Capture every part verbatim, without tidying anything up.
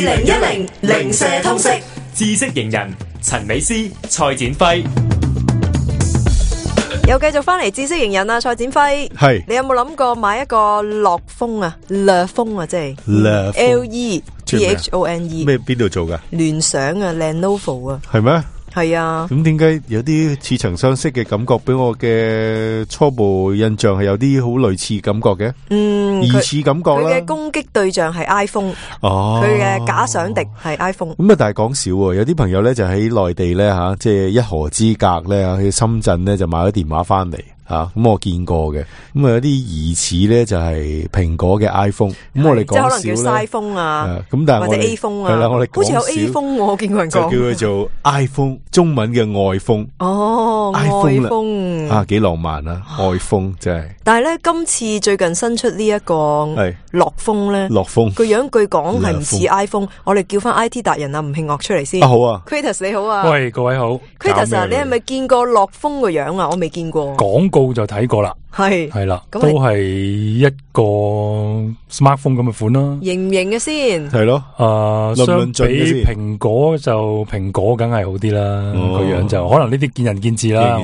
零一零零舍通識知識型人陳美詩、蔡展輝。又繼續翻嚟知識型人啊，蔡展輝。係你有冇諗過買一個樂風啊？樂風啊，即係 L E T H O N E 咩？邊度做噶？聯想啊 ，Lenovo 啊。係咩？係啊。咁點解有啲似曾相識嘅感覺？俾我嘅初步印象係有啲好類似感覺嘅。嗯，疑似感覺啦。佢嘅攻擊對象係 iPhone。哦。佢嘅假想敵係 iPhone。咁啊，但係講笑喎，有啲朋友咧就喺內地咧吓，即係一河之隔咧，去深圳咧就買咗電話翻嚟。啊，咁我見過嘅，咁啊有啲疑似咧就係蘋果嘅 iPhone，咁我哋講笑咧，即係可能叫 iPhone 啊，咁但係或者 A 風啊，係啦，我哋好似有 A 風我見過人講，就叫佢做 iPhone，中文嘅愛風。哦，愛風啊，幾浪漫啊，愛風真係。但係咧，今次最近新出呢一個樂風咧，樂風個樣據講係唔似 iPhone，我哋叫翻 I T 達人啊，吳慶岳出嚟先。啊好啊 ，Kratos 你好啊，喂各位好 ，Kratos 啊，你係咪見過樂風個樣啊？我未見過。廣告就睇過啦，係係啦，都係一個 smartphone 咁嘅款啦。型唔型嘅先？係咯，誒，相比蘋果就蘋果梗係好啲啦，個樣就可能呢啲見仁見智啦。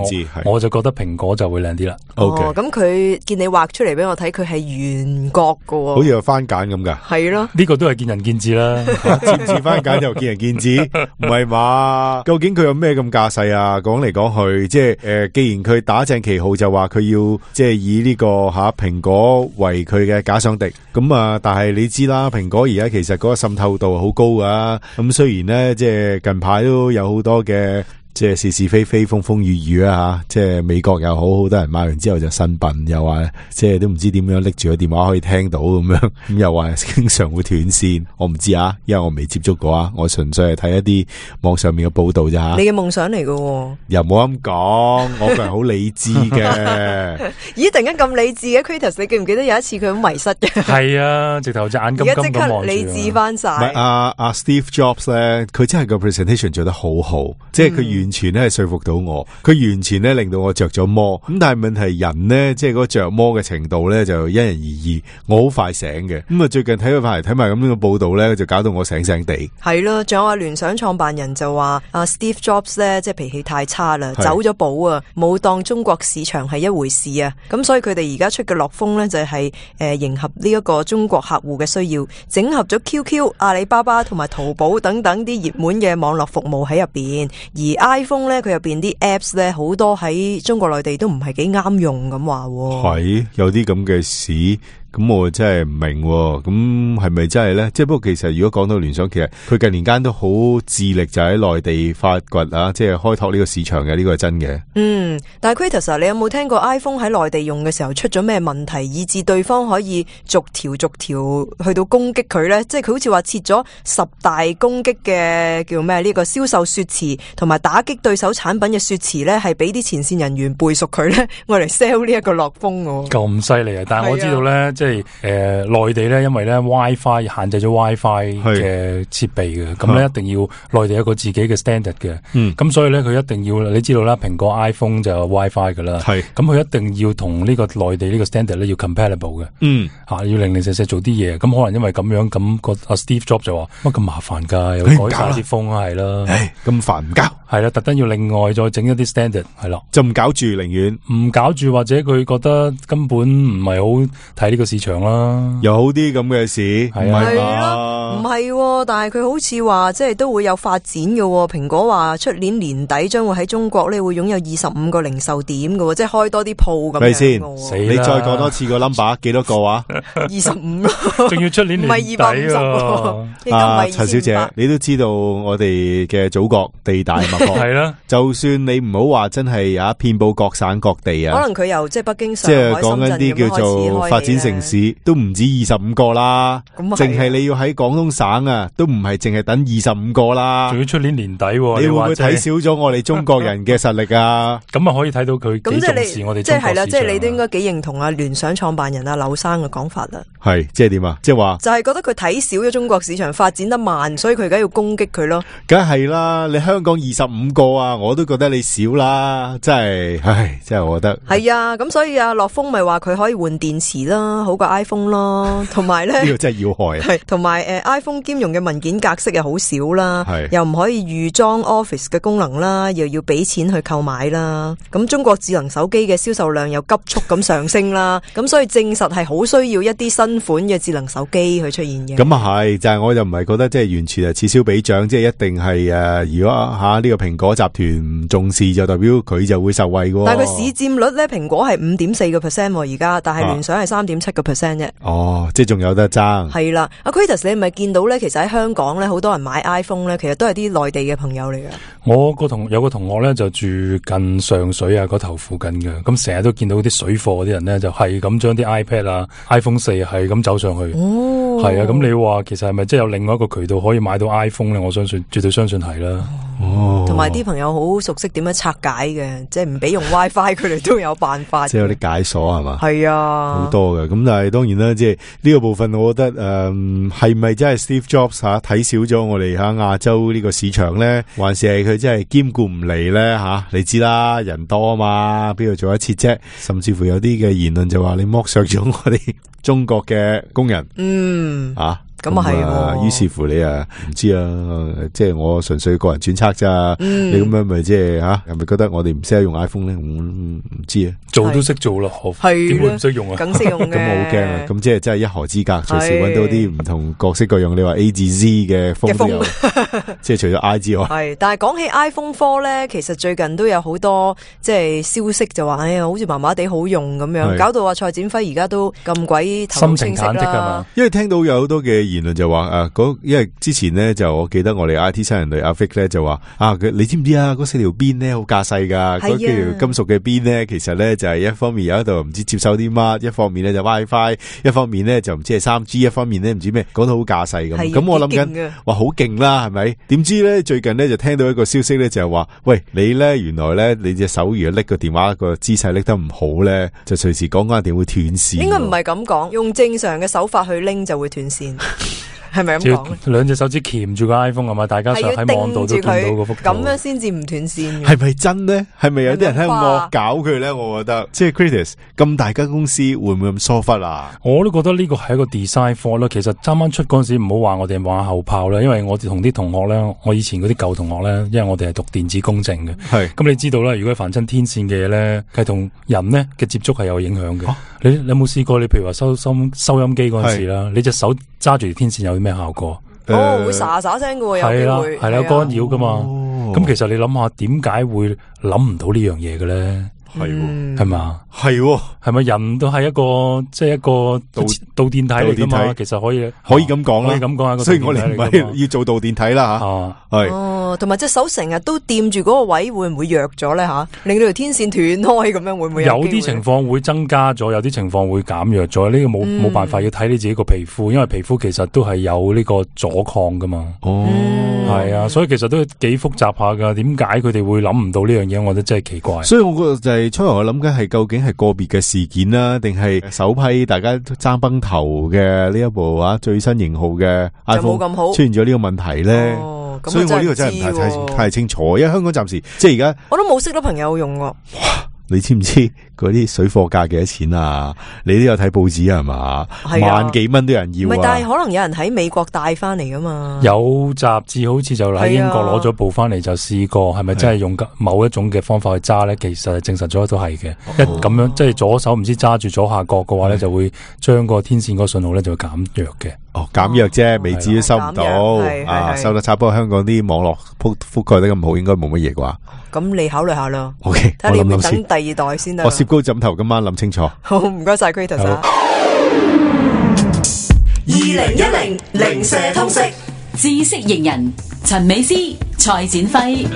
我就覺得蘋果就會靚啲啦。哦，咁佢見你畫出嚟俾我睇，佢係圓角噶，好似有番梘咁噶。係咯，呢個都係見仁見智啦。似唔似番梘就見仁見智，唔係嘛？究竟佢有咩咁架勢啊？講嚟講去，即係誒，既然佢打正旗號就話佢要即係以呢個吓蘋果為佢嘅假想敵，咁啊，但係你知啦，蘋果而家其實嗰個滲透度好高噶，咁雖然咧，即係近排都有好多嘅。即係是是非非風風雨雨啊吓，即係美國又好，好多人買完之後就呻笨，又話即係都唔知點樣拎住個電話可以聽到咁樣，咁又話經常會斷線，我唔知啊，因為我未接觸過啊，我純粹係睇一啲網上面嘅報道咋吓。你嘅夢想嚟㗎，又冇咁講，我個人好理智嘅。咦，突然間咁理智嘅 Kratos， 你記唔記得有一次佢好迷失嘅？係啊，直頭隻眼金金咁望住。而家即刻理智翻晒。唔係阿阿 Steve Jobs 咧，佢真係個 presentation 做得好好，即係佢完全咧係說服到我，佢完全咧令到我着咗魔。咁但係問題人咧，即係嗰個着魔嘅程度咧就因人而異。我好快醒嘅，咁啊最近睇佢翻嚟睇埋咁樣嘅報道咧，就搞到我醒醒地。係咯，仲有阿聯想創辦人就話阿 Steve Jobs 咧，即係脾氣太差啦，走咗寶啊，冇當中國市場係一回事啊。咁所以佢哋而家出嘅樂風咧就係誒迎合呢一個中國客戶嘅需要，整合咗 Q Q、阿里巴巴同埋淘寶等等啲熱門嘅網絡服務喺入邊，而 iPhone 咧佢入邊啲 apps 咧好多喺中國內地都唔係幾啱用咁話。係有啲咁嘅事。咁我真係唔明，咁係咪真係咧？即係不過其實如果講到聯想，其實佢近年間都好致力就喺內地發掘啊，即係開拓呢個市場嘅，呢個係真嘅。嗯，但係 Kratos， 你有冇聽過 iPhone 喺內地用嘅時候出咗咩問題，以致對方可以逐條逐條去到攻擊佢咧？即係佢好似話設咗十大攻擊嘅叫咩？呢個銷售說辭同埋打擊對手產品嘅說辭咧，係俾啲前線人員背熟佢咧，我嚟 sell 呢一個樂風喎。咁犀利啊！但係我知道咧，即係誒內地咧，因為咧 WiFi 限制咗 WiFi 嘅設備嘅，咁咧一定要內地有一個自己嘅 standard 嘅。嗯，咁所以咧佢一定要，你知道啦，蘋果 iPhone 就有 WiFi 噶啦。係，咁佢一定要同呢個內地呢個 standard 咧要 compatible 嘅。嗯，吓、啊、要零零舍舍做啲嘢，咁可能因為咁樣，咁個阿 Steve Jobs 就話乜咁麻煩噶，又改晒啲風係啦。唉，咁煩唔交。係啦，特登要另外再整一啲 standard 係咯，就唔搞住，寧願唔搞住，或者佢覺得根本唔係好睇呢個市場啦，有好啲咁嘅事，係啊，唔係，但係佢好似話即係都會有發展嘅。蘋果話出年年底將會喺中國咧會擁有二十五個零售點嘅，即係開多啲鋪咁樣。咪先，你再講多次個 number 幾多個啊？二十五咯，仲要出年年底啊！啊，陳小姐，你都知道我哋嘅祖國地大物博。係啦，就算你唔好話真係啊，遍佈各省各地啊，可能佢由即係北京、上即海、係講緊啲叫做發展城市，都唔止二十五個啦。咁淨係你要喺廣東省啊，都唔係淨係等二十五個啦。仲要出年年底，你會唔會睇少咗我哋中國人嘅實力啊？咁啊，可以睇到佢幾重視我哋中國市場。即係係啦，即係你都應該幾認同啊聯想創辦人啊柳生嘅講法啦。係，即係點啊？即係話就係覺得佢睇少咗中國市場發展得慢，所以佢而家要攻擊佢咯。梗係啦，你香港二十五個啊，我都覺得你少啦，真係，唉，真係我覺得係啊。咁所以啊，樂風咪話佢可以換電池啦，好過 iPhone 咯，同埋咧呢個真係要害啊。係同埋誒 iPhone 兼容嘅文件格式又好少啦，又唔可以預裝 Office 嘅功能啦，又要俾錢去購買啦。咁中國智能手機嘅銷售量又急速咁上升啦，咁所以證實係好需要一啲新款嘅智能手機去出現嘅。咁啊係，就係、是、我就唔係覺得即係完全係此消彼長，即係一定係誒、呃，如果吓呢、啊這個蘋果集團唔重視，就代表佢就會受惠嘅。但係佢市佔率咧，蘋果係五點四個 percent 而家，但係聯想係三點七個 percent 啫。哦，即係仲有得爭。係啦，阿 Kratos，你咪見到咧，其實喺香港咧，好多人買 iPhone 咧，其實都係啲內地嘅朋友嚟嘅。我個同有個同學咧就住近上水啊嗰頭附近嘅，咁成日都見到啲水貨嗰啲人咧，就係咁將啲 iPad 啊、iPhone 四係咁走上去。哦，係啊，咁你話其實係咪即係有另外一個渠道可以買到 iPhone 咧？我相信絕對相信係啦。哦，同埋啲朋友好熟悉點樣拆解嘅，即係唔俾用 WiFi，佢哋都有辦法。即係有啲解鎖係嘛？係啊，好多嘅。咁但係當然啦，即係呢個部分，我覺得誒係咪真係 Steve Jobs 吓睇少咗我哋喺亞洲呢個市場咧，還是係佢真係兼顧唔嚟咧吓？你知啦，人多啊嘛，邊度做一次啫？甚至乎有啲嘅言論就話你剝削咗我哋中國嘅工人。嗯啊。咁啊係，於是乎你啊唔知啊，即係我純粹個人揣測咋。嗯、你咁樣咪即係吓，係咪覺得我哋唔識得用 iPhone 咧？唔、嗯、唔知啊，做都識做咯，點會唔識用啊？梗識用嘅。咁我好驚啊！咁即係真係一河之隔，隨時搵到啲唔同各式各樣。你話 A 至 Z 嘅風都有，即係除咗 I 之外。係，但係講起 iPhone 四咧，其實最近都有好多即係消息就話，哎呀，好似麻麻地好用咁樣，搞到話蔡展輝而家都咁鬼頭腦清晰啦。心情忐忑㗎嘛？因為聽到有好多嘅言論就話誒。因為之前咧就我記得我哋 I T 新人類阿 Vic 咧就話啊，佢你知唔知啊？嗰四條邊咧好架勢噶，嗰幾條金屬嘅邊咧，其實咧就係一方面有一度唔知接收啲乜，一方面咧就 WiFi， 一方面咧就唔知係三 G， 一方面咧唔知咩，講到好架勢咁。咁我諗緊話好勁啦，係咪？點知咧最近咧就聽到一個消息咧就係話，喂，你咧原來咧你隻手如果拎個電話個姿勢拎得唔好咧，就隨時講緊一定會斷線。應該唔係咁講，用正常嘅手法去拎就會斷線。係咪咁講？兩隻手指鉗住個 iPhone 係咪？大家上喺網度都見到個幅圖，咁樣先至唔斷線。係咪真咧？係咪有啲人喺度惡搞佢咧？我覺得即係 Kratos 咁大間公司會唔會咁疏忽啊？我都覺得呢個係一個 design fault 啦。其實啱啱出嗰陣時唔好話我哋馬後炮啦，因為我哋同啲同學咧，我以前嗰啲舊同學咧，因為我哋係讀電子工程嘅，係咁你知道啦。如果凡親天線嘅嘢咧，係同人咧嘅接觸係有影響嘅。啊、你你有冇試過？你譬如話收收收音機嗰陣時啦，你隻手揸住條天線有啲咩效果？哦，會沙沙聲嘅，有機會係啦，干擾噶嘛。咁、哦、其實你諗下，點解會諗唔到呢樣嘢嘅咧？係喎，係嘛？係喎，係咪人都係一個即係、就是、一個導導電體嚟噶嘛？其實可以可以咁講啦，可以咁講啊。所以我哋唔係要做導電體啦吓，係、啊。哦，同埋隻手成日都掂住嗰個位，會唔會弱咗咧吓？令到條天線斷開咁樣，會唔會有？有啲情況會增加咗，有啲情況會減弱咗。呢、這個冇冇、嗯、辦法，要睇你自己個皮膚，因為皮膚其實都係有呢個阻抗噶嘛。哦，係、嗯、啊，所以其實都幾複雜下噶。點解佢哋會諗唔到呢樣嘢？我覺得真係奇怪。所以我覺得就係、是、初頭我諗緊係究竟係個別嘅事件啦，定係首批大家爭崩頭嘅呢一部啊最新型號嘅 iPhone 出現咗呢個問題咧？哦，所以我呢個真係唔太太太清楚，因為香港暫時即係而家我都冇識到朋友用喎。你知唔知嗰啲水貨價幾多錢啊？你都有睇報紙係嘛？萬幾蚊都有人要啊！唔係，但係可能有人喺美國帶翻嚟噶嘛？有雜誌好似就喺英國攞咗部翻嚟就試過，係咪真係用某一種嘅方法去揸咧？其實證實咗都係嘅。一咁樣即係左手唔知揸住左下角嘅話咧，就會將個天線個信號咧就會減弱嘅。哦，減弱啫，未至於收唔到啊，收得差。不過香港啲網絡覆覆蓋得咁好，應該冇乜嘢啩。咁你考慮下啦。OK，睇下你要唔要等第二代先得。我攝高枕頭，今晚諗清楚。好，唔該晒 Kratos。二零一零零舍通識知識型人陳美詩、蔡展輝。